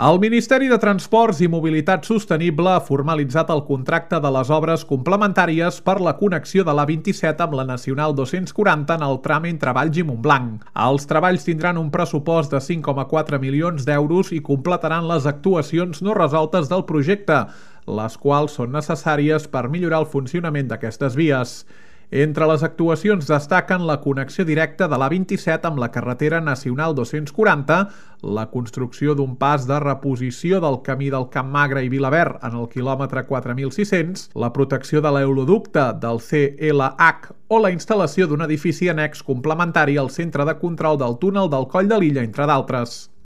El Ministeri de Transports i Mobilitat Sostenible ha formalitzat el contracte de les obres complementàries per la connexió de l'A27 amb la Nacional 240 en el tram entre Valls i Montblanc. Els treballs tindran un pressupost de 5,4 milions d'euros i completaran les actuacions no resoltes del projecte, les quals són necessàries per millorar el funcionament d'aquestes vies. Entre les actuacions destaquen la connexió directa de l'A27 amb la carretera nacional 240, la construcció d'un pas de reposició del camí del Camp Magre i Vilaverd en el quilòmetre 4600, la protecció de l'euroducte del CLH o la instal·lació d'un edifici annex complementari al centre de control del túnel del Coll de Lilla, entre d'altres.